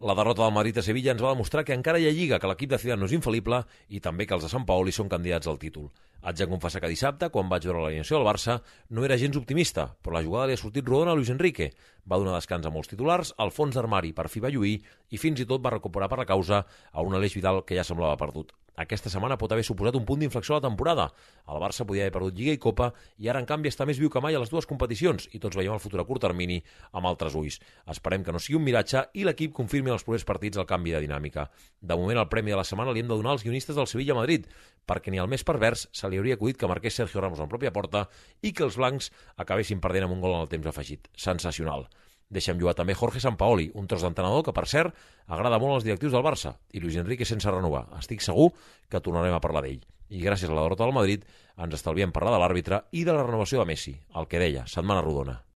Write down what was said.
La derrota del Madrid a Sevilla ens va demostrar que encara hi ha lliga, que l'equip de Zidane no és infal·lible i també que els de Sampaoli són candidats al títol. Haig de confessar que dissabte, quan vaig veure l'alineació del Barça, no era gens optimista, però la jugada li ha sortit rodona a Luis Enrique. Va donar descans a molts titulars, el fons d'armari per fi va lluir i fins i tot va recuperar per la causa a un Aleix Vidal que ja semblava perdut. Aquesta setmana pot haver suposat un punt d'inflexió a la temporada. El Barça podia haver perdut Lliga i Copa i ara, en canvi, està més viu que mai a les dues competicions i tots veiem el futur a curt termini amb altres ulls. Esperem que no sigui un miratge i l'equip confirmi en els propers partits el canvi de dinàmica. De moment, el premi de la setmana li hem de donar als guionistes del Sevilla-Madrid, perquè ni al més pervers se li hauria acudit que marqués Sergio Ramos en pròpia porta i que els blancs acabessin perdent amb un gol en el temps afegit. Sensacional. Deixem jugar també Jorge Sampaoli, un tros d'entrenador que, per cert, agrada molt als directius del Barça, i Luis Enrique sense renovar. Estic segur que tornarem a parlar d'ell. I gràcies a la derrota del Madrid ens estalviem parlar de l'àrbitre i de la renovació de Messi, el que deia, setmana rodona.